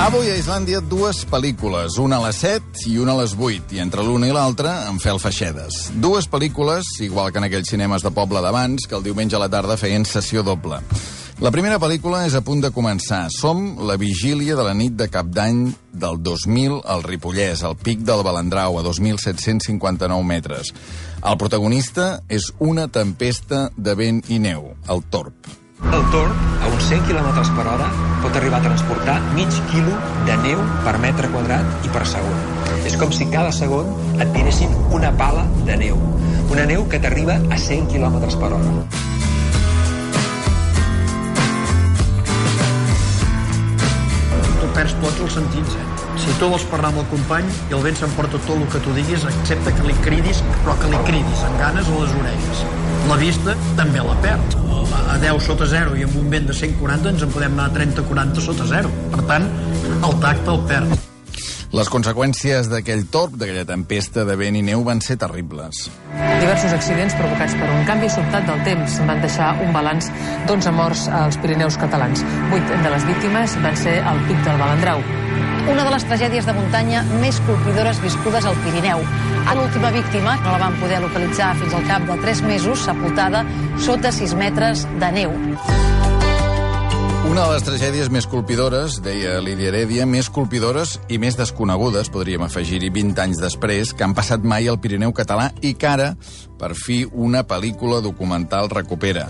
Avui a Islàndia dues pel·lícules, una a les 7 i una a les 8, i entre l'una i l'altra en fel feixedes. Dues pel·lícules, igual que en aquells cinemes de poble d'abans, que el diumenge a la tarda feien sessió doble. La primera pel·lícula és a punt de començar. Som la vigília de la nit de Cap d'Any del 2000 al Ripollès, al pic del Balandrau, a 2.759 metres. El protagonista és una tempesta de vent i neu, el Torb. El Torb, a uns 100 km per hora, pot arribar a transportar mig quilo de neu per metre quadrat i per segon. És com si cada segon et tiressin una pala de neu. Una neu que t'arriba a 100 km per hora. Tu perds tots els sentits, Si tu vols parlar amb el company i el vent s'emporta tot el que tu diguis, excepte que li cridis, però que li cridis amb ganes a les orelles. La vista també la perd. A 10 sota 0 i amb un vent de 140 ens en podem anar a 30-40 sota 0. Per tant, el tacte el perd. Les conseqüències d'aquell torb, d'aquella tempesta de vent i neu, van ser terribles. Diversos accidents provocats per un canvi sobtat del temps van deixar un balanç d'11 morts als Pirineus catalans. 8 de les víctimes van ser al pic del Balandrau. Una de les tragèdies de muntanya més colpidores viscudes al Pirineu. L'última víctima no la van poder localitzar fins al cap de 3 mesos, sepultada sota 6 metres de neu. Una de les tragèdies més colpidores, deia Lídia Heredia, més colpidores i més desconegudes, podríem afegir-hi 20 anys després, que han passat mai al Pirineu català i que ara, per fi, una pel·lícula documental recupera.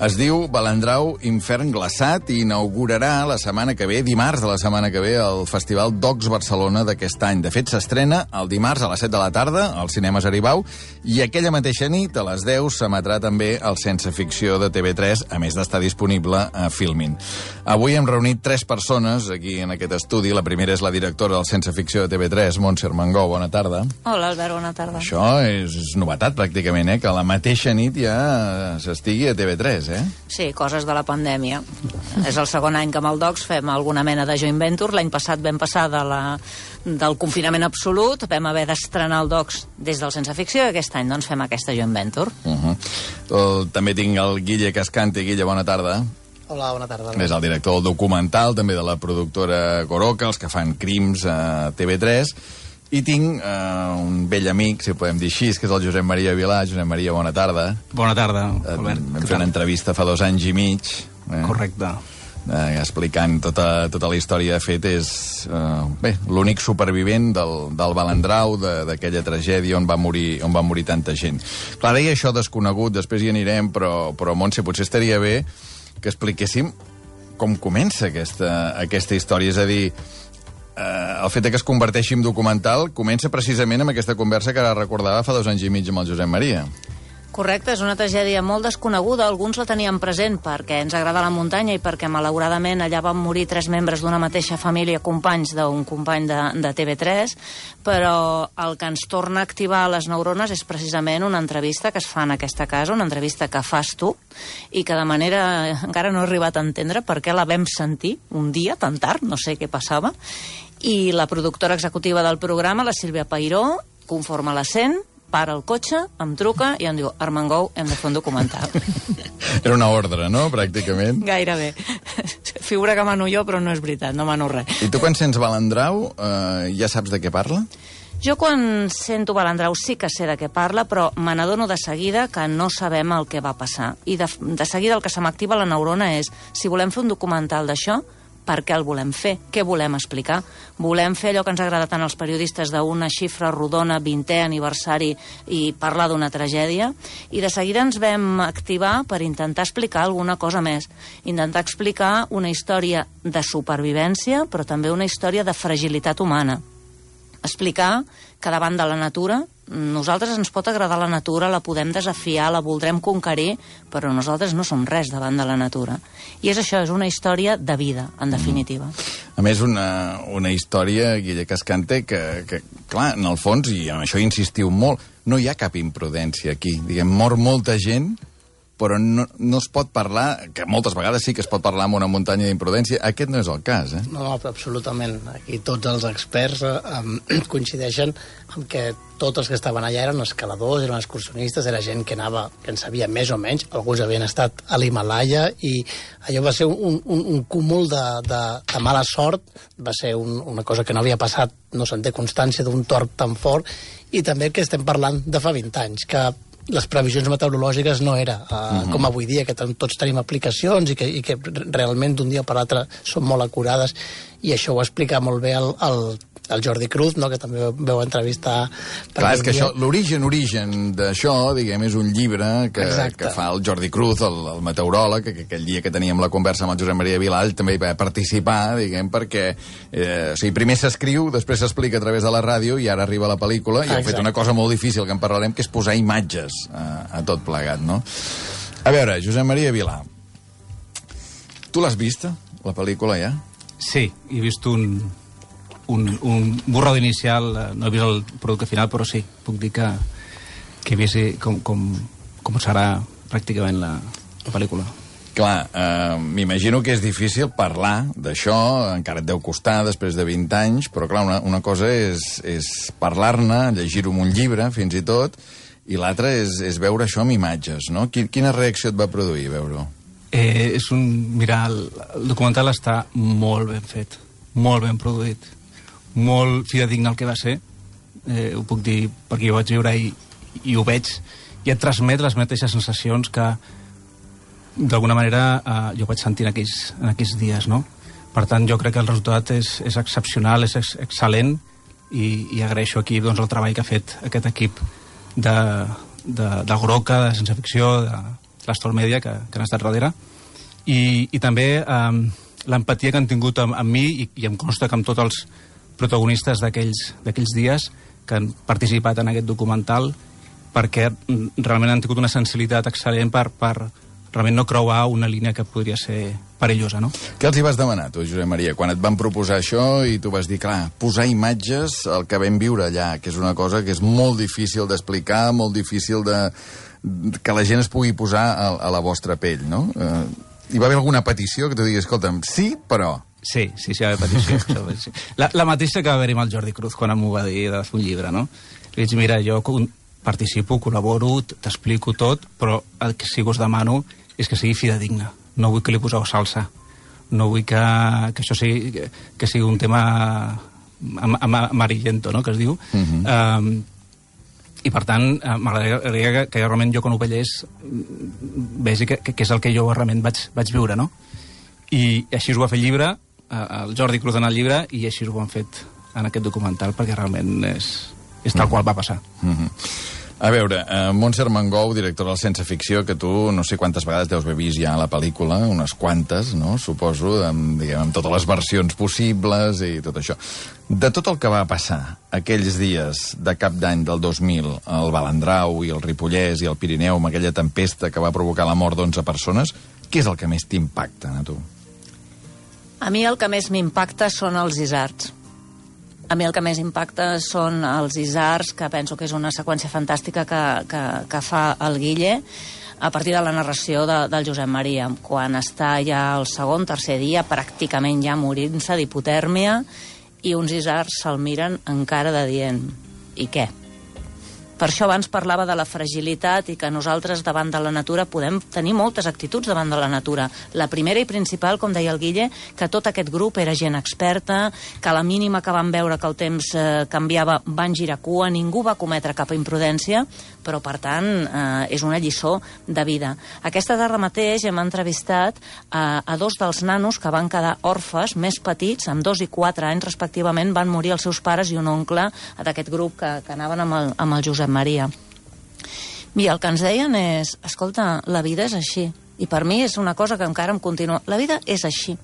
Es diu Balandrau, infern glaçat, i inaugurarà la setmana que ve, dimarts de la setmana que ve, el Festival Docs Barcelona d'aquest any. De fet, s'estrena el dimarts a les 7 de la tarda als cinemes Aribau, i aquella mateixa nit, a les 10, s'emetrà també el Sense Ficció de TV3, a més d'estar disponible a Filmin. Avui hem reunit 3 persones aquí en aquest estudi. La primera és la directora del Sense Ficció de TV3, Montse Armengou. Bona tarda. Hola, Albert, bona tarda. Això és novetat, pràcticament, que a la mateixa nit ja s'estigui a TV3, Sí, coses de la pandèmia. És el segon any que amb el Docs fem alguna mena de joint venture. L'any passat vam passar del confinament absolut, vam haver d'estrenar el Docs des del Sense Ficció, i aquest any doncs fem aquesta joint venture. També tinc el Guille Cascante. Guille, bona tarda. Hola, bona tarda. És el director del documental, també de la productora Coroca, els que fan Crims a TV3. I tinc un vell amic, si ho podem dir així, que és el Josep Maria Vilà. Josep Maria, bona tarda. Bona tarda, Albert. Vam fer una entrevista fa 2 anys i mig. Correcte. Explicant tota la història. De fet, és l'únic supervivent del Balandrau, d'aquella tragèdia on va morir tanta gent. Clar, deia això desconegut, després hi anirem, però Montse, potser estaria bé que expliquéssim com comença aquesta història. És a dir, el fet que es converteixi en documental comença precisament amb aquesta conversa que ara recordava fa 2 anys i mig amb el Josep Maria. Correcte, és una tragèdia molt desconeguda. Alguns la teníem present perquè ens agrada la muntanya i perquè, malauradament, allà van morir 3 membres d'una mateixa família, companys d'un company de TV3, però el que ens torna a activar les neurones és precisament una entrevista que es fa en aquesta casa, una entrevista que fas tu, i que de manera encara no he arribat a entendre per què la vam sentir un dia tan tard, no sé què passava, i la productora executiva del programa, la Sílvia Peiró, conforme la sent, para el cotxe, em truca i em diu: Armengou, hem de fer un documental. Era una ordre, no?, pràcticament. Gairebé. Figura que mano jo, però no és veritat, no mano res. I tu quan sents Balandrau ja saps de què parla? Jo quan sento Balandrau sí que sé de què parla, però me n'adono de seguida que no sabem el que va passar. I de seguida el que se m'activa la neurona és: si volem fer un documental d'això, per què el volem fer? Què volem explicar? Volem fer allò que ens agrada tant als periodistes, d'una xifra rodona, 20è aniversari, i parlar d'una tragèdia, i de seguida ens vam activar per intentar explicar alguna cosa més. Intentar explicar una història de supervivència, però també una història de fragilitat humana. Explicar que davant de la natura, nosaltres ens pot agradar la natura, la podem desafiar, la voldrem conquerir, però nosaltres no som res davant de la natura. I és això, és una història de vida, en definitiva. A més, una història, Guille Cascante, que, clar, en el fons, i en això insistiu molt, no hi ha cap imprudència aquí. Diguem, mor molta gent, però no es pot parlar, que moltes vegades sí que es pot parlar amb una muntanya d'imprudència. Aquest no és el cas, No, absolutament. Aquí tots els experts coincideixen en que tots els que estaven allà eren escaladors, eren excursionistes, era gent que anava, que en sabia més o menys, alguns havien estat a l'Himalaya, i allò va ser un cúmul de mala sort, va ser una cosa que no havia passat, no se'n té constància d'un tort tan fort, i també que estem parlant de fa 20 anys, que les previsions meteorològiques no era com avui dia, que tots tenim aplicacions i que realment d'un dia per l'altre són molt acurades, i això ho explica molt bé el Jordi Cruz, no?, que també veu entrevistar... Clar, és que això, l'origen d'això, diguem, és un llibre que fa el Jordi Cruz, el meteoròleg, que aquell dia que teníem la conversa amb el Josep Maria Vilà, ell també hi va participar, diguem, perquè o sigui, primer s'escriu, després s'explica a través de la ràdio i ara arriba la pel·lícula, i heu fet una cosa molt difícil que en parlarem, que és posar imatges a tot plegat, no? A veure, Josep Maria Vilà, tu l'has vista, la pel·lícula, ja? Sí, he vist un borrado inicial, no he vist el producte final, però sí, puc dir que he vist com serà pràcticament la pel·lícula. Clar, m'imagino que és difícil parlar d'això, encara et deu costar després de 20 anys, però clar, una cosa és parlar-ne, llegir-ho en un llibre, fins i tot, i l'altra és veure això amb imatges, no? Quina reacció et va produir veure-ho? Mira, el documental està molt ben fet, molt ben produït, molt fidedigne al que va ser, ho puc dir perquè ho vaig viure i ho veig, i et transmet les mateixes sensacions que d'alguna manera jo vaig sentir en aquells dies, no? Per tant, jo crec que el resultat és excepcional, és excel·lent, i agraeixo aquí doncs, el treball que ha fet aquest equip de Groca, de Sense Ficció, de l'Astor Media, que han estat darrere, i també l'empatia que han tingut amb mi, i em consta que amb tots els protagonistes d'aquells dies que han participat en aquest documental, perquè realment han tingut una sensibilitat excel·lent per realment no creuar una línia que podria ser perillosa, no? Què els hi vas demanar, tu, Josep Maria, quan et van proposar això i tu vas dir, clar, posar imatges al que vam viure allà, que és una cosa que és molt difícil d'explicar, molt difícil que la gent es pugui posar a la vostra pell, no? Hi va haver alguna petició que tu diguis, escolta'm, sí, però... Sí, hi va haver petició. La mateixa que va haver-hi amb el Jordi Cruz quan m'ho va dir de fer un llibre, no? Li dic, mira, jo participo, col·laboro, t'explico tot, però el que sí que us demano és que sigui fidedigne. No vull que li poseu salsa. No vull que això sigui un tema amarillento, no?, que es diu. I, per tant, m'agradaria que realment jo, quan ho veiés, vegi que és el que jo realment vaig viure, no? I així ho va fer el llibre, el Jordi Cruz en el llibre, i així ho han fet en aquest documental, perquè realment és tal qual va passar. A veure, Montse Armengou, directora del Sense Ficció, que tu no sé quantes vegades deus haver vist ja la pel·lícula, unes quantes, no?, suposo, amb totes les versions possibles i tot això. De tot el que va passar aquells dies de cap d'any del 2000, al Balandrau i el Ripollès i el Pirineu, amb aquella tempesta que va provocar la mort d'11 persones, què és el que més t'impacta, a tu? A mi el que més m'impacta són els isards. A mi el que més impacta són els isards, que penso que és una seqüència fantàstica que fa el Guille a partir de la narració del Josep Maria, quan està ja el segon, tercer dia, pràcticament ja morint-se d'hipotèrmia, i uns isards se'l miren encara de dient, i què? Per això abans parlava de la fragilitat i que nosaltres davant de la natura podem tenir moltes actituds davant de la natura. La primera i principal, com deia el Guille, que tot aquest grup era gent experta, que a la mínima que van veure que el temps canviava van girar cua, ningú va cometre cap imprudència, però per tant és una lliçó de vida. Aquesta tarda mateix hem entrevistat a dos dels nanos que van quedar orfes, més petits, amb 2 i 4 anys respectivament, van morir els seus pares i un oncle d'aquest grup que anaven amb el Josep Maria. I el que ens deien és, escolta, la vida és així. I per mi és una cosa que encara em continua. La vida és així.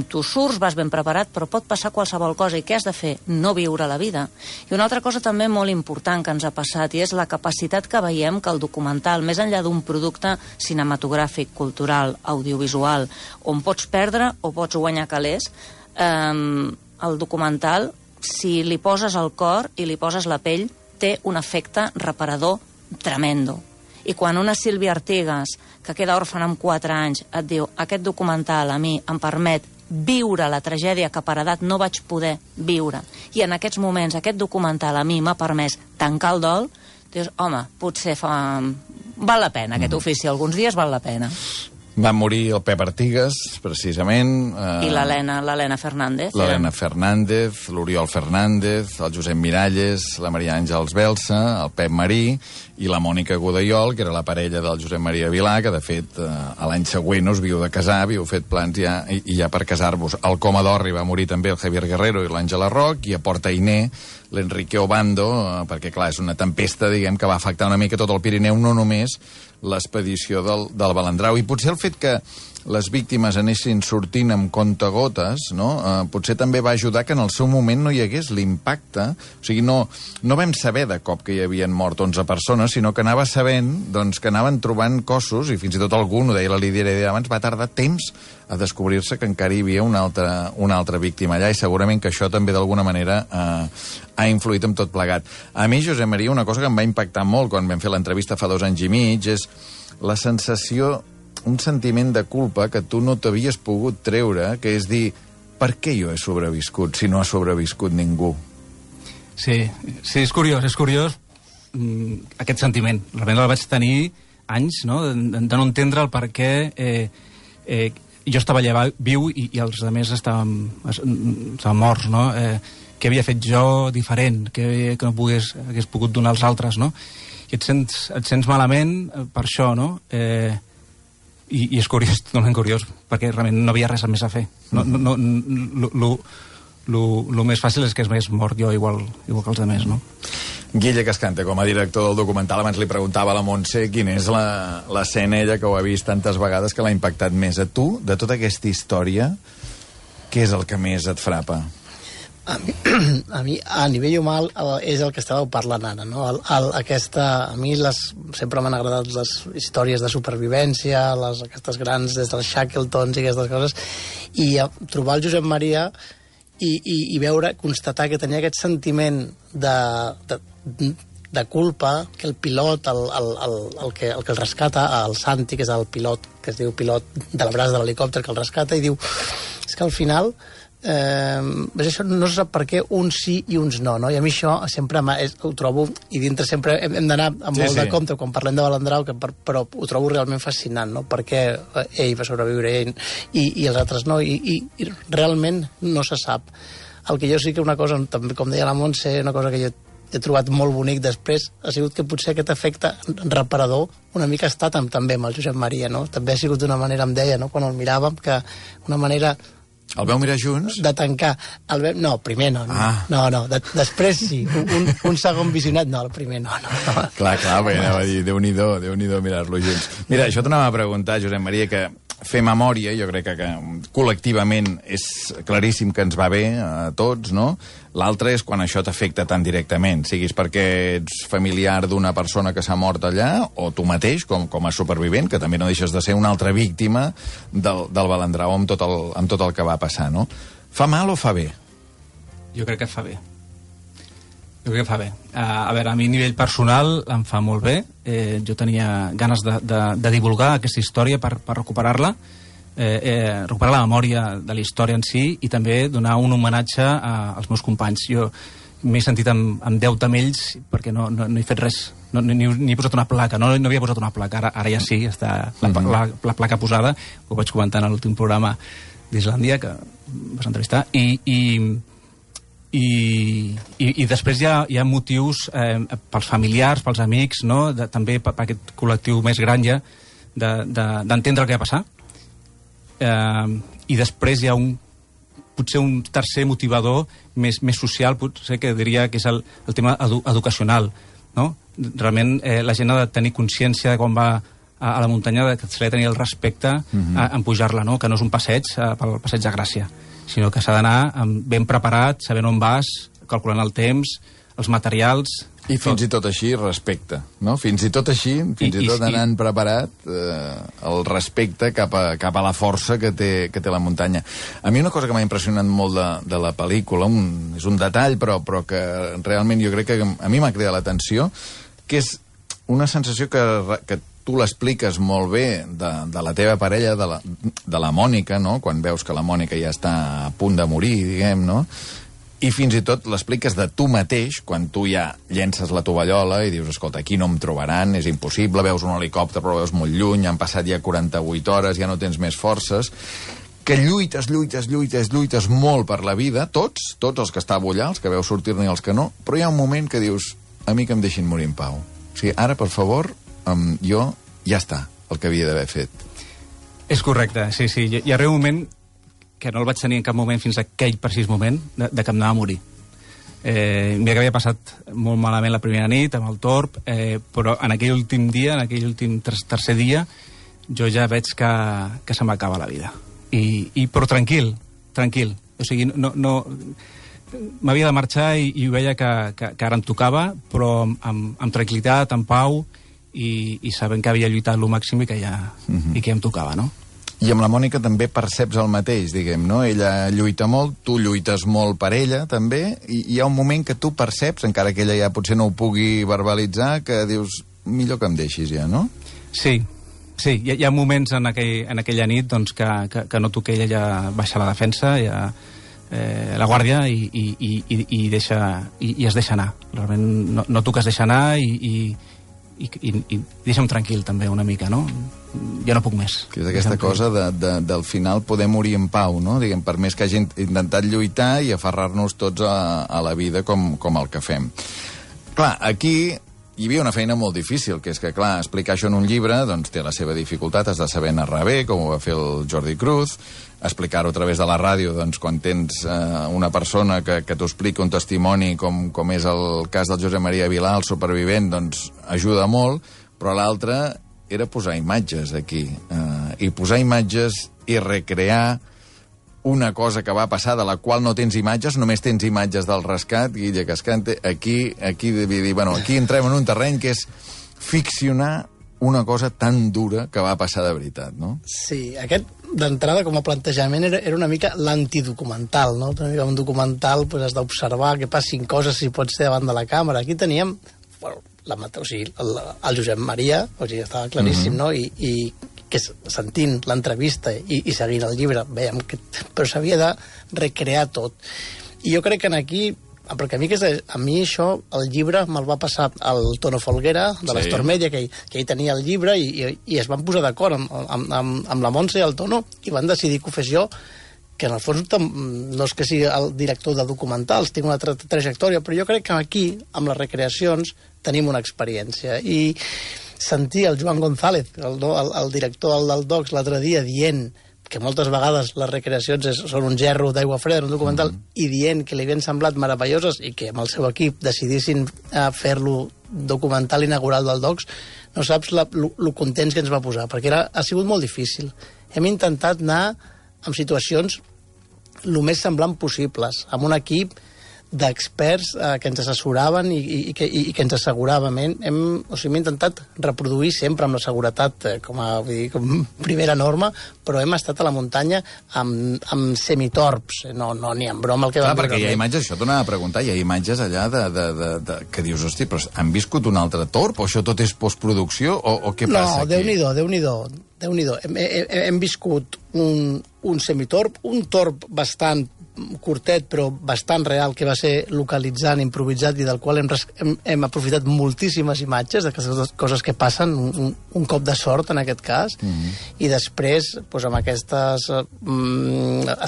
Tu surts, vas ben preparat, però pot passar qualsevol cosa. I què has de fer? No viure la vida. I una altra cosa també molt important que ens ha passat, i és la capacitat que veiem que el documental, més enllà d'un producte cinematogràfic, cultural, audiovisual, on pots perdre o pots guanyar calés, el documental, si li poses el cor i li poses la pell, té un efecte reparador tremendo. I quan una Sílvia Artigas, que queda òrfana amb 4 anys, et diu aquest documental a mi em permet viure la tragèdia que per edat no vaig poder viure, i en aquests moments aquest documental a mi m'ha permès tancar el dol, dius, home, potser val la pena aquest ofici, alguns dies val la pena. Va morir el Pep Artigas, precisament. I l'Helena Fernández. L'Helena Fernández, l'Oriol Fernández, el Josep Miralles, la Maria Àngels Belsa, el Pep Marí i la Mònica Godellol, que era la parella del Josep Maria Vilà, que de fet l'any següent us viu de casar, havíeu fet plans ja, i ja per casar-vos. Al Coma d'Orri va morir també el Javier Guerrero i l'Àngela Roc, i a Porta Iné l'Enrique Obando, perquè clar, és una tempesta, diguem, que va afectar una mica tot el Pirineu, no només l'expedició del Balandrau. I potser el fet que les víctimes anessin sortint amb comptagotes, no? Potser també va ajudar que en el seu moment no hi hagués l'impacte. O sigui, no vam saber de cop que hi havien mort 11 persones, sinó que anava sabent doncs, que anaven trobant cossos, i fins i tot algun, ho deia la Lídia Heredia abans, va tardar temps a descobrir-se que encara hi havia una altra víctima allà, i segurament que això també d'alguna manera ha influït en tot plegat. A mi, Josep Maria, una cosa que em va impactar molt quan vam fer l'entrevista fa 2 anys i mig és la sensació, un sentiment de culpa que tu no t'havies pogut treure, que és dir, per què jo he sobreviscut si no ha sobreviscut ningú? Sí, és curiós aquest sentiment. Realment el vaig tenir anys, no?, de no entendre el per què jo estava allà viu i els altres estaven morts, no? Què havia fet jo diferent, que no hagués pogut donar als altres, no? I et sents malament per això, no? I és curiós, totalment curiós, perquè realment no havia res més a fer. Lo més fàcil és que m'hagués mort jo igual que els altres, no? Guille Cascante, com a director del documental, abans li preguntava a la Montse quina és l'escena, ella que ho ha vist tantes vegades, que l'ha impactat més. A tu, de tota aquesta història, què és el que més et frapa? A mi, a nivell humà, és el que estàveu parlant ara, no? A mi sempre m'han agradat les històries de supervivència, aquestes grans, des dels Shackletons i aquestes coses, i trobar el Josep Maria i constatar que tenia aquest sentiment de culpa, que el pilot, el que el rescata, el Santi, que és el pilot, que es diu pilot de la brasa de l'helicòpter, que el rescata, i diu, és que al final això no se sap per què uns sí i uns no, i a mi això sempre ho trobo, i dintre sempre hem d'anar amb molt de compte quan parlem de Balandrau, però ho trobo realment fascinant, no? Perquè ell va sobreviure i els altres no, i realment no se sap. El que jo sí que una cosa, també com deia la Montse, una cosa que jo he trobat molt bonic després, ha sigut que potser aquest efecte reparador una mica ha estat també amb el Josep Maria, no? També ha sigut d'una manera, em deia, no? Quan el miràvem, que una manera... El veu mirar junts? De tancar. No, primer no. No, després sí. Un segon visionat, no, el primer no. Clar, bé, anava a dir, Déu-n'hi-do mirar-lo junts. Mira, això t'anava a preguntar, Josep Maria, que fer memòria, jo crec que col·lectivament és claríssim que ens va bé a tots, no? L'altre és quan això t'afecta tan directament, siguis perquè ets familiar d'una persona que s'ha mort allà, o tu mateix, com a supervivent, que també no deixes de ser una altra víctima del Balandrau amb tot el que va passar, no? Fa mal o fa bé? Jo crec que fa bé. A veure, a mi a nivell personal em fa molt bé. Jo tenia ganes de divulgar aquesta història per recuperar-la, recuperar la memòria de la història en si i també donar un homenatge als meus companys. Jo m'he sentit en deute amb ells perquè no he fet res, ni he posat una placa, no havia posat una placa, ara ja sí, està la placa posada, ho vaig comentar en l'últim programa d'Islàndia que vas entrevistar, i després hi ha motius pels familiars, pels amics, no? També per aquest col·lectiu més gran ja d'entendre el que va passar, i després hi ha potser un tercer motivador més social, potser que diria que és el tema educacional, no? Realment la gent ha de tenir consciència de quan va a la muntanya, que s'ha de tenir el respecte en pujar-la, no? Que no és un passeig pel passeig de Gràcia, sinó que s'ha d'anar ben preparat, sabent on vas, calculant el temps, els materials... I fins i tot així, respecte, no? Fins i tot així, fins i tot anant preparat, el respecte cap a la força que té la muntanya. A mi una cosa que m'ha impressionat molt de la pel·lícula, és un detall, però que realment jo crec que a mi m'ha cridat l'atenció, que és una sensació que tu l'expliques molt bé de la teva parella, de la Mònica, no? Quan veus que la Mònica ja està a punt de morir, diguem, no? I fins i tot l'expliques de tu mateix, quan tu ja llences la tovallola i dius, escolta, aquí no em trobaran, és impossible, veus un helicòpter però veus molt lluny, han passat ja 48 hores, ja no tens més forces, que lluites molt per la vida, tots els que estàveu allà, els que veus sortir-ne i els que no, però hi ha un moment que dius, a mi que em deixin morir en pau. O sigui, ara, per favor, jo ja està, el que havia d'haver fet. És correcte, sí. Hi arriba un moment que no el vaig tenir en cap moment fins a aquell precís moment de que em anava a morir. Mira que havia passat molt malament la primera nit amb el torb, però en aquell últim dia, en aquell últim tercer dia, jo ja veig que se m'acaba la vida. Però tranquil. O sigui, no m'havia de marxar i veia que ara em tocava, però amb tranquil·litat, amb pau, i sabent que havia lluitat el màxim i que ja em tocava, no? I amb la Mònica també perceps el mateix, diguem, no? Ella lluita molt, tu lluites molt per ella, també, i hi ha un moment que tu perceps, encara que ella ja potser no ho pugui verbalitzar, que dius, millor que em deixis ja, no? Sí, hi ha moments en aquella nit doncs, que noto que ella ja baixa la defensa, ja, la guàrdia, i es deixa anar. Realment noto que es deixa anar i deixa'm tranquil també una mica, no? Ja no puc més. Que és aquesta cosa del final poder morir en pau, no? Diguem, per més que hagi intentat lluitar i aferrar-nos tots a la vida com el que fem. Clar, aquí hi havia una feina molt difícil, que és que, clar, explicar això en un llibre doncs té la seva dificultat, has de saber narrar bé, com ho va fer el Jordi Cruz, explicar-ho a través de la ràdio, doncs, quan tens una persona que t'ho explica un testimoni, com és el cas del Josep Maria Vilà, el supervivent, doncs ajuda molt, però l'altre era posar imatges aquí, i posar imatges i recrear una cosa que va passar de la qual no tens imatges, només tens imatges del rescat, Guille Cascante, aquí entrem en un terreny que és ficcionar una cosa tan dura que va passar de veritat, no? Sí, aquest d'entrada com a plantejament era una mica l'antidocumental, no? Una mica un documental, pues, has d'observar que passin coses si pot ser davant de la càmera. Aquí teníem, bueno, el Josep Maria, o sigui, estava claríssim, no? I que sentint l'entrevista i seguint el llibre, veiem que però s'havia de recrear tot. I jo crec que aquí, perquè a mi això, el llibre me'l va passar el Tono Folguera, de l'Astor Media, que ell tenia el llibre i es van posar d'acord amb la Montse i el Tono i van decidir que ho fes jo, que en el fons no és que sigui el director de documentals, tinc una trajectòria, però jo crec que aquí, amb les recreacions, tenim una experiència. I sentir el Joan González, el director del Docs, l'altre dia, dient que moltes vegades les recreacions són un gerro d'aigua freda en un documental, i dient que li havien semblat meravelloses i que amb el seu equip decidissin fer-lo documental inaugural del Docs, no saps lo contents que ens va posar, perquè ha sigut molt difícil. Hem intentat anar en situacions el més semblant possibles, amb un equip d'experts que ens assessoraven i que ens asseguraven. Hem intentat reproduir sempre amb la seguretat com primera norma, però hem estat a la muntanya amb semitorps, no ni en broma el que vam veure. Perquè hi ha imatges, això t'ho anava a preguntar, hi ha imatges allà que dius, hosti, però han viscut un altre torb, o això tot és postproducció, o què passa aquí? No, Déu-n'hi-do. Hem viscut un semitorb, un torb bastant curtet però bastant real, que va ser localitzant, improvisat, i del qual hem aprofitat moltíssimes imatges d'aquestes coses que passen, un cop de sort en aquest cas, i després doncs, amb aquestes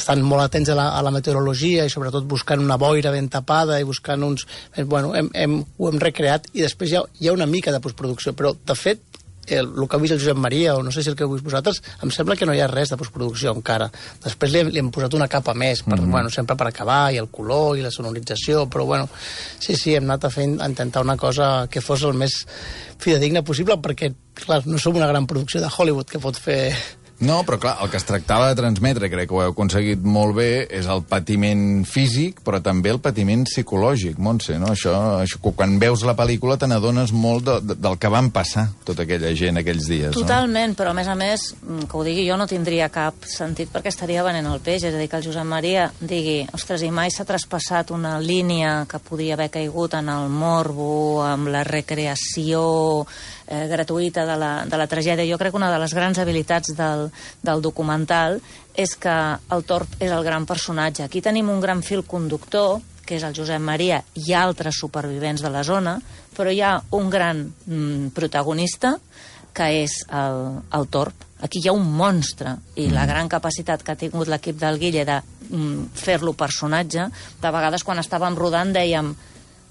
estan molt atents a la meteorologia i sobretot buscant una boira ben tapada i buscant uns... Bueno, ho hem recreat, i després hi ha una mica de postproducció, però de fet el que ha vist el Josep Maria, o no sé si el que heu vist vosaltres, em sembla que no hi ha res de postproducció encara. Després li hem posat una capa més, sempre per acabar, i el color, i la sonorització, però bueno, sí, hem anat a intentar una cosa que fos el més fidedigna possible, perquè, clar, no som una gran producció de Hollywood que pot fer No, però clar, el que es tractava de transmetre, crec que ho heu aconseguit molt bé, és el patiment físic, però també el patiment psicològic, Montse, no? Això quan veus la pel·lícula te n'adones molt del que van passar tota aquella gent aquells dies, no? Totalment, però a més, que ho digui jo no tindria cap sentit perquè estaria venent el peix, és a dir, que el Josep Maria digui, ostres, i mai s'ha traspassat una línia que podia haver caigut en el morbo, amb la recreació gratuïta de la tragèdia. Jo crec que una de les grans habilitats del documental és que el Torp és el gran personatge. Aquí tenim un gran fil conductor, que és el Josep Maria i altres supervivents de la zona, però hi ha un gran protagonista, que és el Torp. Aquí hi ha un monstre, i la gran capacitat que ha tingut l'equip del Guille de fer-lo personatge. De vegades, quan estàvem rodant, dèiem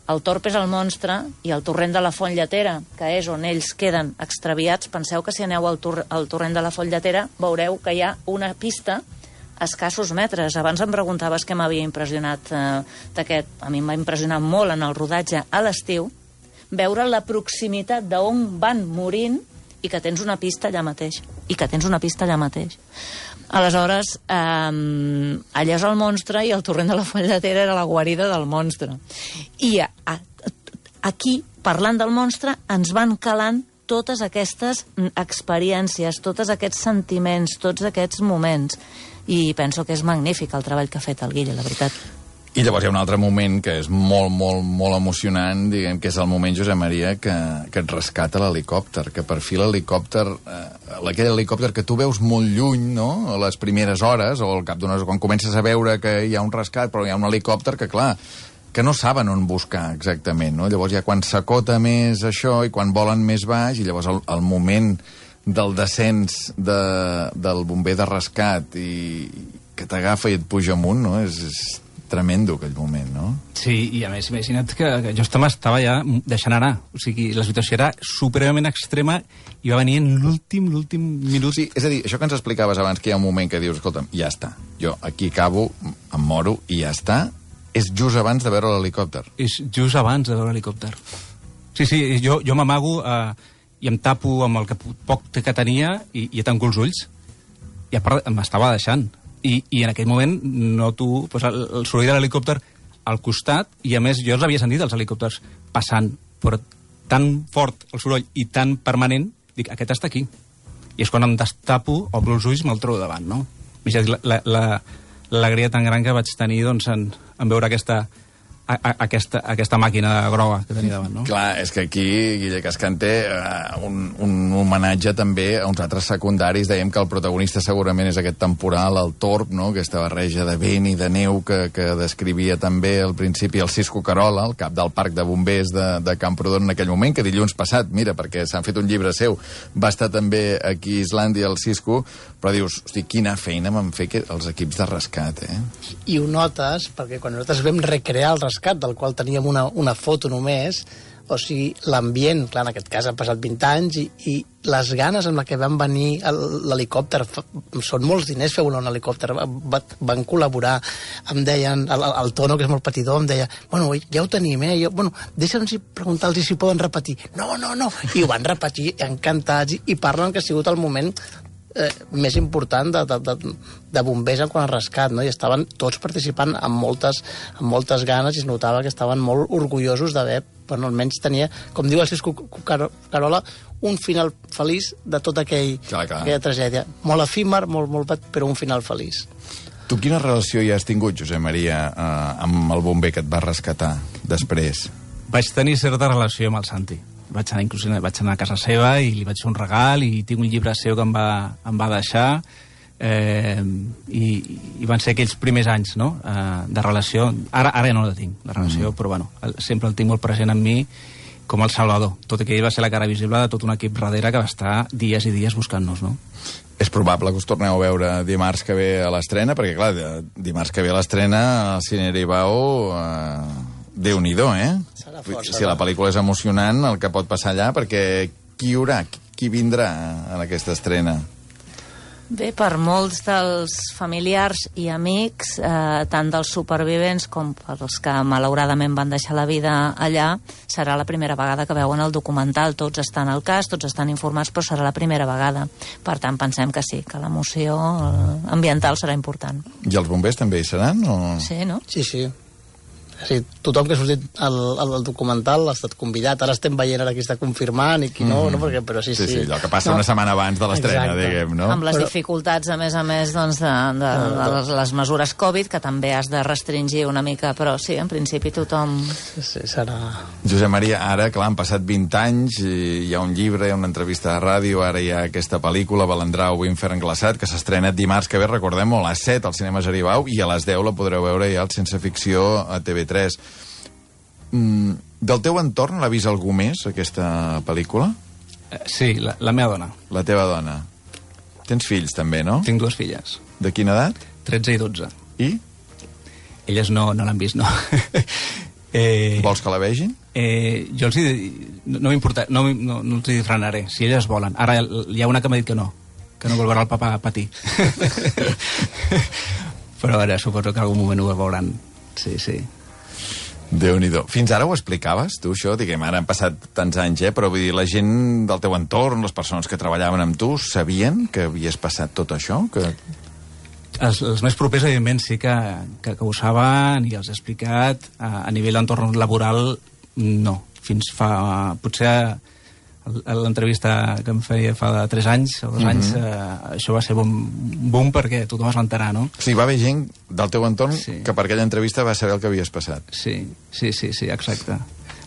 el Torp és el monstre i el torrent de la Font Lletera, que és on ells queden extraviats. Penseu que si aneu al torrent de la Font Lletera veureu que hi ha una pista a escassos metres. Abans em preguntaves què m'havia impressionat d'aquest. A mi em va impressionar molt en el rodatge a l'estiu veure la proximitat d'on van morint i que tens una pista allà mateix. Aleshores, allà és el monstre i el torrent de la Font Lletera era la guarida del monstre. I aquí, parlant del monstre, ens van calant totes aquestes experiències, tots aquests sentiments, tots aquests moments. I penso que és magnífic el treball que ha fet el Guille, la veritat. I llavors hi ha un altre moment que és molt, molt, molt emocionant, diguem que és el moment, Josep Maria, que et rescata l'helicòpter, que per fi l'helicòpter, aquell helicòpter que tu veus molt lluny, no?, a les primeres hores, o al cap d'unes hores, quan comences a veure que hi ha un rescat, però hi ha un helicòpter que, clar, que no saben on buscar exactament, no? Llavors ja quan s'acota més això i quan volen més baix, i llavors el moment del descens del bomber de rescat i que t'agafa i et puja amunt, no?, és tremendo aquell moment, no? Sí, i a més, imagina't que jo estava ja deixant anar. O sigui, la situació era supremament extrema i va venir en l'últim minut. Sí, és a dir, això que ens explicaves abans, que hi ha un moment que dius, escolta'm, ja està, jo aquí acabo, em moro i ja està, és just abans de veure l'helicòpter. És just abans de veure l'helicòpter. Sí, jo m'amago i em tapo amb el que poc que tenia i tanco els ulls. I a part m'estava deixant. I en aquell moment noto el soroll de l'helicòpter al costat, i a més jo els havia sentit els helicòpters passant, però tan fort el soroll i tan permanent, dic, aquest està aquí. I és quan em destapo, obro els ulls, me'l trobo davant, no? L'alegria tan gran que vaig tenir, doncs, en veure aquesta màquina groga que tenia davant, no? Clar, és que aquí Guille Cascant té un homenatge també a uns altres secundaris. Dèiem que el protagonista segurament és aquest temporal, el Torp, no?, aquesta barreja de vent i de neu que descrivia també al principi el Cisco Carola, el cap del parc de bombers de Camprodon en aquell moment, que dilluns passat, mira, perquè s'han fet un llibre seu, va estar també aquí a Islàndia, el Cisco, però dius, hosti, quina feina van fer els equips de rescat, I ho notes, perquè quan nosaltres vam recrear el rescat, del qual teníem una foto només, o sigui, l'ambient, clar, en aquest cas han passat 20 anys, i les ganes amb la que van venir l'helicòpter, són molts diners fer volar un helicòpter, van col·laborar, em deien, el Tono, que és molt patidor, em deia, bueno, ja ho tenim, jo, bueno, deixa'ns preguntar-los si poden repetir. No, i ho van repetir encantats, i parlen que ha sigut el moment més important de bombers en quant a rescat, no? I estaven tots participant amb moltes ganes, i es notava que estaven molt orgullosos d'haver, bueno, almenys tenia, com diu el Cisco Carola, un final feliç de tota aquella tragèdia. Molt efímer, molt, però un final feliç. Tu quina relació hi has tingut, Josep Maria, amb el bomber que et va rescatar després? Vaig tenir certa relació amb el Santi. Vaig anar a casa seva i li vaig fer un regal, i tinc un llibre seu que em va deixar, i van ser aquells primers anys, no?, de relació. Ara ja no la tinc, la relació, però bueno, sempre el tinc molt present en mi com el Salvador, tot i que ell va ser la cara visible de tot un equip darrere que va estar dies i dies buscant-nos, no? És probable que us torneu a veure dimarts que ve a l'estrena, perquè clar, dimarts que ve a l'estrena al Cine Aribau, Déu-n'hi-do, si la pel·lícula és emocionant, el que pot passar allà, perquè qui hi haurà, qui vindrà en aquesta estrena? Bé, per molts dels familiars i amics, tant dels supervivents com pels que malauradament van deixar la vida allà, serà la primera vegada que veuen el documental. Tots estan al cas, tots estan informats, però serà la primera vegada. Per tant, pensem que sí, que l'emoció ambiental serà important. I els bombers també hi seran? O... Sí, no? Sí. Sí, tothom que ha sortit al documental ha estat convidat. Ara estem veient ara qui està confirmant i qui no, perquè, però sí. Sí, allò que passa una setmana abans de l'estrena, diguem, no? Amb les dificultats, a més, doncs, de les mesures Covid, que també has de restringir una mica, però sí, en principi tothom... Sí, serà... Josep Maria, ara, clar, han passat 20 anys, hi ha un llibre, hi ha una entrevista de ràdio, ara hi ha aquesta pel·lícula, Balandrau, Infern glaçat, que s'estrena dimarts que ve, recordem-ho, a les 7 al cinema Jaribau, i a les 10 la podreu veure ja al Sense Ficció a TV3. Del teu entorn l'ha vist algú més, aquesta pel·lícula? Sí, la meva dona. La teva dona. Tens fills, també, no? Tinc 2 filles. De quina edat? 13 i 12. I? Elles no l'han vist, no. Vols que la vegin? Jo els no m'importa, no els hi frenaré, si elles volen. Ara hi ha una que m'ha dit que no vol veure el papa patir. Però ara suposo que en algun moment ho veuran. Sí. Déu-n'hi-do. Fins ara ho explicaves, tu, això? Diguem, ara han passat tants anys, però vull dir, la gent del teu entorn, les persones que treballaven amb tu, sabien que havies passat tot això? Els més propers, evidentment, sí que ho saben i els he explicat. A nivell d'entorn laboral, no. Fins fa... Potser a l'entrevista que em feia fa 3 anys o 2 anys, això va ser boom perquè tothom es va enterar, no? O sigui, va haver gent del teu entorn que per aquella entrevista va saber el que havies passat. Sí, exacte.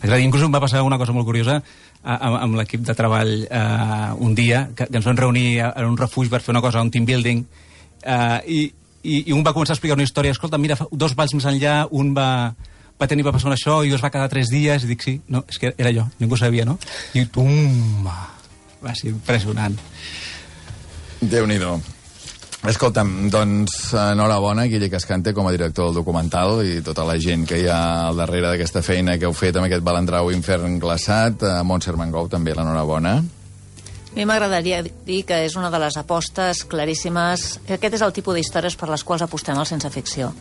Inclús em va passar una cosa molt curiosa amb l'equip de treball un dia, que ens vam reunir en un refugi per fer una cosa, un team building, i un va començar a explicar una història. Escolta, mira, 2 valls més enllà, un va passar això i es va quedar 3 dies, i dic, sí, no, és que era jo, ningú sabia, no? I va ser impressionant. Déu-n'hi-do. Escolta'm, doncs, enhorabona, Guille Cascante, com a director del documental, i tota la gent que hi ha al darrere d'aquesta feina que heu fet amb aquest Balandrau Infern glaçat. A Montse Armengou també l'enhorabona. A mi m'agradaria dir que és una de les apostes claríssimes. Aquest és el tipus d'històries per les quals apostem al Sense Ficció.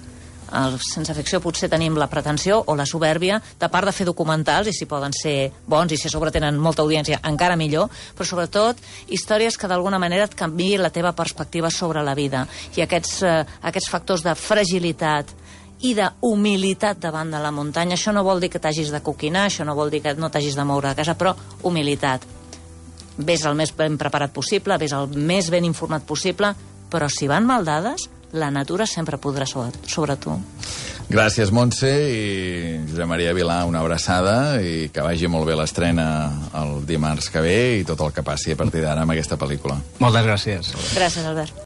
Al Sense Ficció potser tenim la pretensió o la supèrbia de part de fer documentals, i si poden ser bons i si a sobre tenen molta audiència encara millor, però sobretot històries que d'alguna manera et canviïn la teva perspectiva sobre la vida, i aquests factors de fragilitat i d'humilitat davant de la muntanya. Això no vol dir que t'hagis de coquinar, això no vol dir que no t'hagis de moure de casa, però humilitat. Ves el més ben preparat possible, ves el més ben informat possible, però si van mal dades, la natura sempre podrà sobre tu. Gràcies, Montse, i Josep Maria Vilà, una abraçada, i que vagi molt bé l'estrena el dimarts que ve i tot el que passi a partir d'ara amb aquesta pel·lícula. Moltes gràcies. Gràcies, Albert.